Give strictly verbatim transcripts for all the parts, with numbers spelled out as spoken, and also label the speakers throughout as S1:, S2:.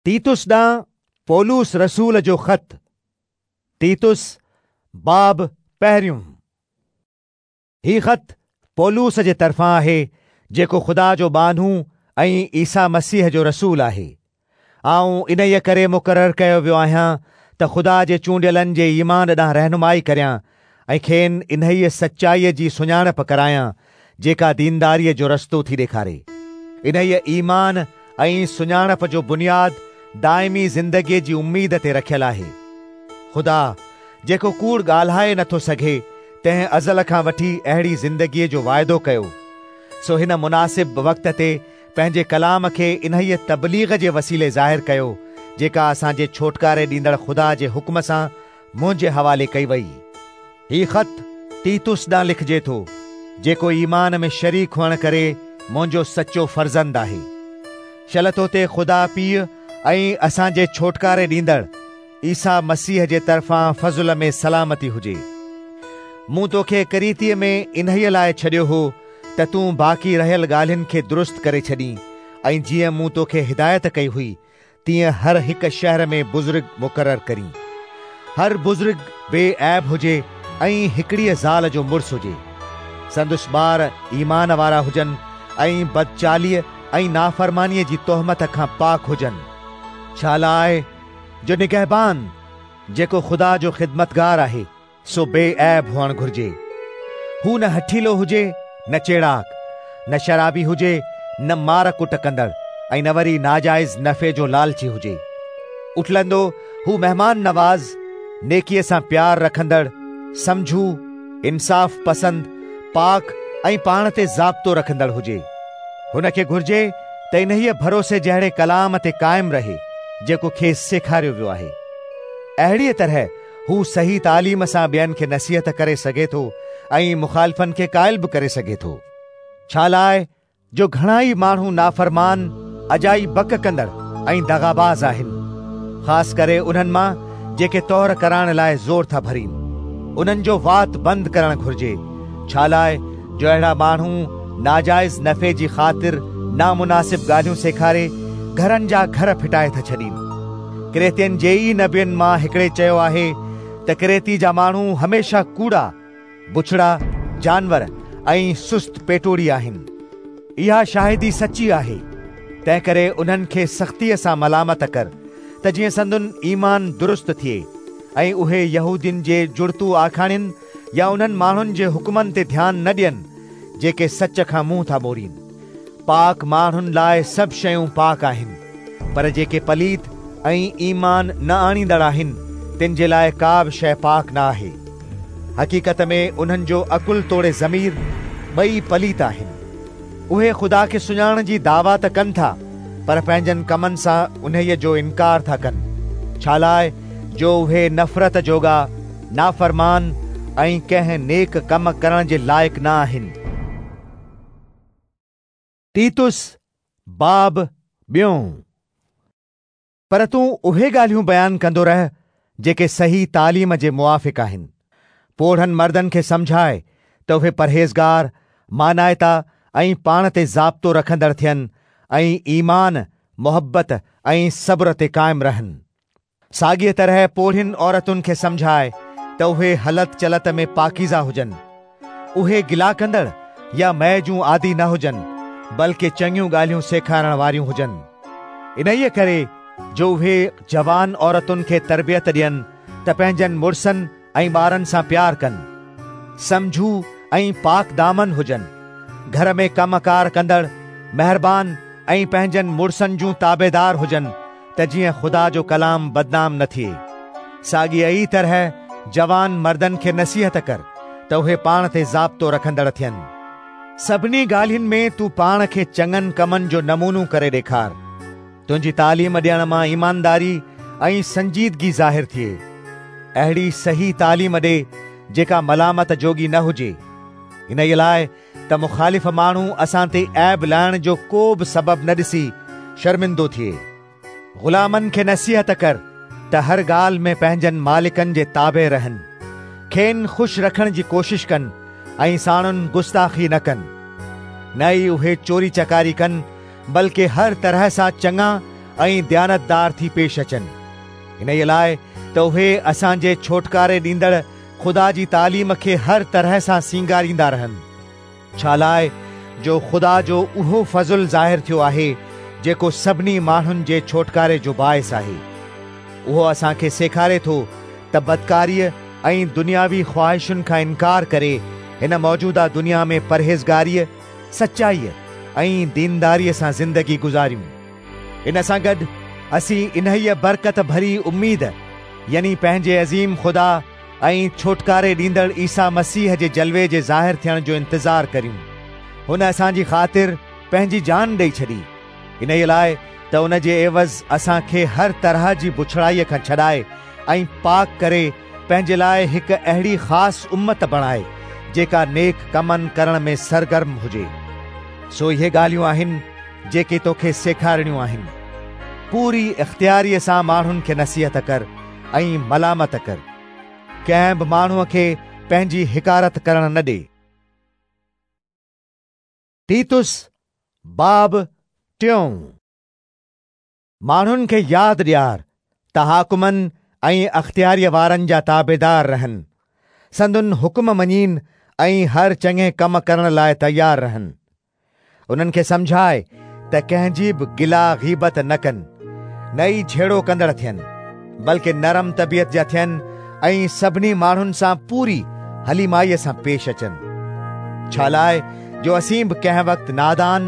S1: तीतुस ॾांहुं पौलुस रसूल जो ख़त। तीतुस बाब पहिरियों। ही ख़त पौलुस जे तरफ़ां आहे, जेको ख़ुदा जो बानू ऐं ईसा मसीह जो रसूल आहे। आउं इन्हीअ करे मुक़ररु कयो वियो आहियां त ख़ुदा जे चूंडियलनि जे ईमान ॾांहुं रहनुमाई करियां ऐं खेनि इन्हीअ सचाईअ जी सुञाणप करायां जेका दीनदारीअ जो रस्तो थी ॾेखारे। इन्हीअ ईमान ऐं सुञाणप जो बुनियाद दाइमी ज़िंदगीअ जी उम्मीद ते रखियल आहे। ख़ुदा जेको कूड़ ॻाल्हाए नथो सघे, तंहिं अज़ल खां वठी अहिड़ी ज़िंदगीअ जो वाइदो कयो। सो हिन मुनासिब वक़्त ते पंहिंजे कलाम खे इन्हीअ तबलीग जे वसीले ज़ाहिर कयो, जेका असांजे छोटकारे ॾींदड़ ख़ुदा जे हुक्म सां मुंहिंजे हवाले कई वई। ही ख़त तीतुस ॾांहुं लिखिजे थो, जेको ईमान में शरीक हुअण करे मुंहिंजो सचो फर्ज़ंद आहे। शल तो ते ख़ुदा पीउ ऐं असांजे छोटकारे ॾींदड़ ईसा मसीह जे तरफ़ां फ़ज़ुल में सलामती हुजे। मूं तोखे करीतीअ में इन्हीअ लाइ छॾियो हो त तूं बाक़ी रहियल ॻाल्हियुनि खे दुरुस्त करे छॾीं, ऐं जीअं मूं तोखे हिदायत कई हुई तीअं हर हिकु शहर में बुज़ुर्ग मुक़ररु करीं। हर बुज़ुर्ग बेऐब हुजे ऐं हिकिड़ीअ ज़ाल जो मुड़ुसु हुजे। संदुसि ॿार ईमान वारा हुजनि ऐं बदचालीअ ऐं नाफ़रमानीअ जी तोहमत खां पाक हुजनि। छा लाइ जो निगहबान जेको ख़ुदा जो ख़िदमतगार आहे सो बेऐब हुअणु घुरिजे। हू न हठीलो हुजे, न चेड़ाक, न शराबी हुजे, न मार कुट कंदड़ ऐं न वरी नाजाइज़ नफ़े जो लालची हुजे। उथलंदो हू महिमान नवाज़, नेकीअ सां प्यार रखंदड़, सम्झू, इंसाफ़ पसंद, पाक ऐं पाण ते ज़ाब्तो रखंदड़ हुजे। हुनखे घुरिजे त इन्हीअ भरोसे जहिड़े कलाम ते क़ाइमु रहे जेको खेसि सेखारियो वियो आहे। अहिड़ीअ तरह हू सही तालीम सां ॿियनि खे नसीहत करे सघे थो ऐं मुखालिफ़नि खे क़ाइल बि करे सघे थो। छा लाइ जो घणा ई माण्हू नाफ़रमान, अजाई बक कंदड़ ऐं दगाबाज़ आहिनि, ख़ासि करे उन्हनि मां जेके तौर कराइण लाइ ज़ोर था भरीनि। उन्हनि जो वात बंदि करणु घुरिजे, छा लाइ जो अहिड़ा माण्हू नाजाइज़ नफ़े जी ख़ातिर नामुनासिब ॻाल्हियूं सेखारे घरनि जा घर फिटाए था छॾीनि। क्रेतियनि जे ई नबियुनि मां हिकिड़े चयो आहे त क्रेती जा माण्हू हमेशह कूड़ा, बुछड़ा, जानवर ऐं सुस्त पेटोड़ी आहिनि। इहा शाहिदी सची आहे, तंहिं करे उन्हनि खे सख़्तीअ सां मलामत कर त जीअं संदन ईमान दुरुस्त थिए ऐं उहे यहूदियुनि जे जुड़तू आखाणियुनि या उन्हनि माण्हुनि जे हुक्मनि ते ध्यानु न ॾियनि जेके सच खां मुंहुं था मोड़ीनि। पाक माण्हुनि लाइ सभु शयूं पाक आहिनि, पर जेके पलीत ऐं ईमान न आणींदड़ आहिनि तिन जे लाइ का बि शइ पाक न आहे। हक़ीक़त में उन्हनि जो अकुल तोड़े ज़मीर ॿई पलीत आहिनि। उहे ख़ुदा खे सुञाणण जी दावा त कनि था, पर पंहिंजनि कमनि सां उन्हीअ जो इनकार था कनि। छा लाइ जो उहे नफ़रत जोगा, नाफ़रमान ऐं कंहिं नेक कम करण जे लाइक़ न आहिनि। तीतुस बाब ॿियों। पर तूं उहे ॻाल्हियूं बयानु कंदो रह जेके सही तालीम जे मुआफ़िक़ आहिनि। पोढ़नि मर्दनि खे सम्झाए त उहे परहेज़गार, मानाइता ऐं पाण ते ज़ाब्तो रखंदड़ थियनि ऐं ईमान, मोहबत ऐं सब्र ते क़ाइमु रहनि। साॻीअ तरह पोढ़ियुनि औरतुनि खे सम्झाए त उहे हलत चलत में पाकीज़ा हुजनि। उहे गिला कंदड़ या मय जूं आदी न हुजनि, बल्कि चङियूं ॻाल्हियूं सेखारण वारियूं हुजनि। इन्हीअ करे जो उहे जवान औरतुनि खे तरबियत ॾियनि त पंहिंजनि मुड़ुसनि ऐं ॿारनि सां प्यार कनि, सम्झू ऐं पाक दामन हुजनि, घर में कम कार कंदड़, महिरबान ऐं पंहिंजनि मुड़ुसनि जूं ताबेदार हुजनि त जीअं ख़ुदा जो कलाम बदनाम न थिए। साॻीअ ई तरह जवान मर्दनि खे नसीहत कर त उहे पाण ते ज़ाब्तो रखंदड़ थियनि। सभिनी ॻाल्हियुनि में तूं पाण खे चङनि कमनि जो नमूनो करे ॾेखार। तुंहिंजी तालीम ॾियण मां ईमानदारी ऐं संजीदगी ज़ाहिर थिए। अहिड़ी सही तालीम ॾे जेका मलामत जोगी न हुजे, इन लाइ त मुखालिफ़ माण्हू असां ते ऐब लाइण जो को बि सबबु न ॾिसी शर्मिंदो थिए। ग़ुलामनि खे नसीहत कर त हर ॻाल्हि में पंहिंजनि मालिकनि जे ताबे रहनि, खेनि ख़ुशि रखण जी कोशिशि कनि ऐं साणुनि गुस्ताख़ी न कनि। न ई उहे चोरी चकारी कनि, बल्कि हर तरह सां चङा ۽ ديانتدار ٿي پيش اچن، انهيء لاءِ ته اهي اسان جي ڇوٽڪاري ڏيندڙ خدا جي تعليم کي هر طرح سان سينگاريندا رهن. ڇا لاءِ جو خدا جو اهو فضل ظاهر ٿيو آهي جيڪو سڀني ماڻهن جي ڇوٽڪاري جو باعث آهي. اهو اسان کي سيکاري ٿو ته بدڪاريء ۽ دنياوي خواهشن کان انڪار ڪري هن موجوده دنيا ۾ پرهيزگاريء، سچائيء ۽ دينداريء سان زندگي گذاريون. ان سان گڏ اسين انهيء برڪت ڀري اميد يعني پنهنجي عظيم خدا ۽ ڇوٽڪاري ڏيندڙ عيسيٰ مسيح جي جلوي جي ظاهر ٿيڻ جو انتظار ڪريون. هن اسان جي خاطر پنهنجي جان ڏيئي ڇڏي، انهيء لاءِ ته ان جي عيوض اسان کي هر طرح جي بڇڙائيء کان ڇڏائي ۽ پاڪ ڪري پنهنجي لاءِ هڪ اهڙي خاص امت بڻائي جيڪا نيڪ ڪمن ڪرڻ ۾ سرگرم هجي. سو اهي ڳالهيون آهن جيڪي توکي سيکارڻيون آهن. پوري اختياريءَ سان ماڻهن کي نصيحت ڪر ۽ ملامت ڪر. ڪنهن به ماڻهوءَ کي پنهنجي حقارت ڪرڻ نه ڏي. تيتس باب ٽيون. ماڻهن کي ياد ڏيار ته حاڪمن ۽ اختياريءَ وارن جا تابعدار رهن، سندن حڪم مڃين ۽ هر چڱي ڪم ڪرڻ لاءِ تيار رهن. انهن کي سمجهائي ته ڪنهن جي به گلا غيبت نه ڪن، نه ئي جهيڙو ڪندڙ ٿين، بلڪه نرم طبيعت جا ٿين ۽ سڀني ماڻهن سان پوري حليمائيءَ سان پيش اچن. ڇا لاءِ جو اسين به ڪنهن وقت نادان،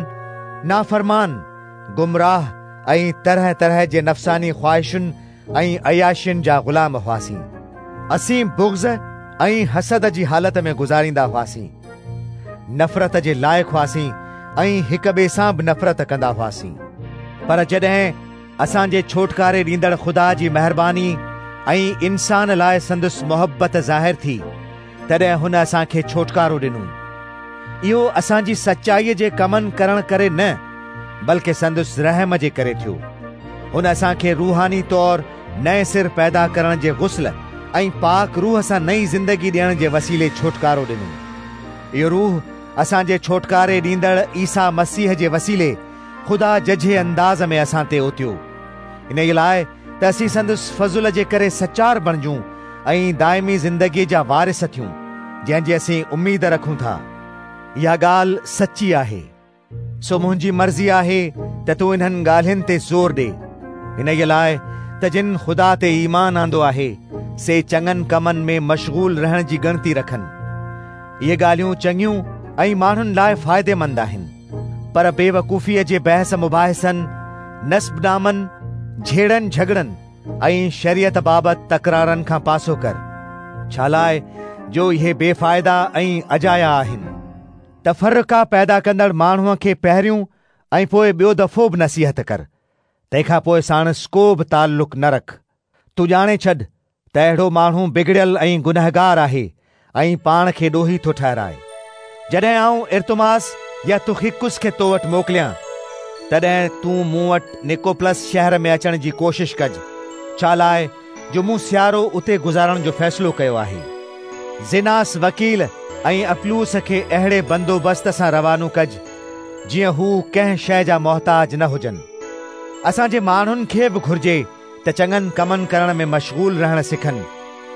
S1: نافرمان، گمراهه ۽ طرح طرح جي نفساني خواهشن ۽ عياشين جا غلام هئاسين. اسين بغض ۽ حسد جي حالت ۾ گذاريندا هئاسين، نفرت جي لائق هئاسين ۽ هڪ ٻئي سان به نفرت ڪندا هئاسين. پر جڏهن اسان جي ڇوٽڪاري ڏيندڙ خدا جي مهرباني ۽ انسان لاءِ سندس محبت ظاهر ٿي، تڏهن هن اسان کي ڇوٽڪارو ڏنو. اهو اسان جي سچائيءَ جي ڪمن ڪرڻ ڪري نه، بلڪه سندس رحم جي ڪري ٿيو. هن اسان کي روحاني طور نئين سر پيدا ڪرڻ جي غسل ۽ پاڪ روح سان نئين زندگي ڏيڻ جي وسيلي ڇوٽڪارو ڏنو. اهو روح اسان جي ڇوٽڪاري ڏيندڙ عيسيٰ مسيح جي وسيلي خدا ججهي انداز ۾ اسان تي اوتيو، انهيءَ لاءِ ته اسين سندس فضل جي ڪري سچار بڻجون ۽ دائمي زندگيءَ جا وارث ٿيون، جنهن جي اسين اميد رکون ٿا. اها ڳالهه سچي آهي. سو منهنجي مرضي آهي ته تون انهن ڳالهين تي زور ڏي، انهيءَ لاءِ ته جن خدا تي ايمان آندو آهي سي چڱن ڪمن ۾ مشغول رهڻ جي ڳڻتي رکن. اهي ڳالهيون چڱيون ۽ ماڻهن لاءِ فائديمند آهن، پر بيوقوفيءَ جي بحث مباحثن، نسبنامن، جهيڙن جهڳڙن ۽ شريعت بابت تڪرارن کان پاسو ڪر، ڇا لاءِ جو اهي بيفائدا ۽ اجايا آهن. تفرقا پيدا ڪندڙ ماڻهوءَ کي پهريون ۽ پوءِ ٻيو دفعو به نصيحت ڪر، تنهن کان پوءِ ساڻس ڪو به تعلق نه رک. تون ڄاڻي ڇڏ ته اهڙو ماڻهو بگڙيل ۽ گنهگار آهي ۽ پاڻ کي ڏوهي ٿو ٺهرائي. جڏهن آئون ارتماس يا تخيڪس کي تو وٽ موڪليان، تڏهن تون مون وٽ نڪوپلس شهر ۾ اچڻ جي ڪوشش ڪج، ڇا لاءِ جو مون سيارو اتي گذارڻ جو فيصلو ڪيو آهي. زيناس وڪيل ۽ اپلوس کي اهڙي بندوبست سان روانو ڪج جيئن هو ڪنهن شيءِ جا محتاج نه هجن. اسان جي ماڻهن کي به گهرجي ته چڱن ڪمن ڪرڻ ۾ مشغول رهڻ سکن،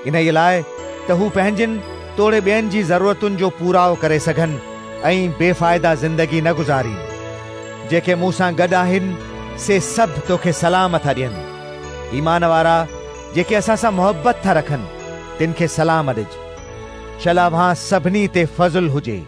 S1: انهيءَ لاءِ ته هو پنهنجن توڙي ٻين جي ضرورتن جو پورائو ڪري سگهن ۽ بيفائدا زندگي نه گذارين. جيڪي مون سان گڏ آهن سي سڀ توکي سلام ٿا ڏين. ايمان وارا جيڪي اسان سان محبت ٿا رکن تن کي سلام ڏج. شل اوهان سڀني تي فضل هجي.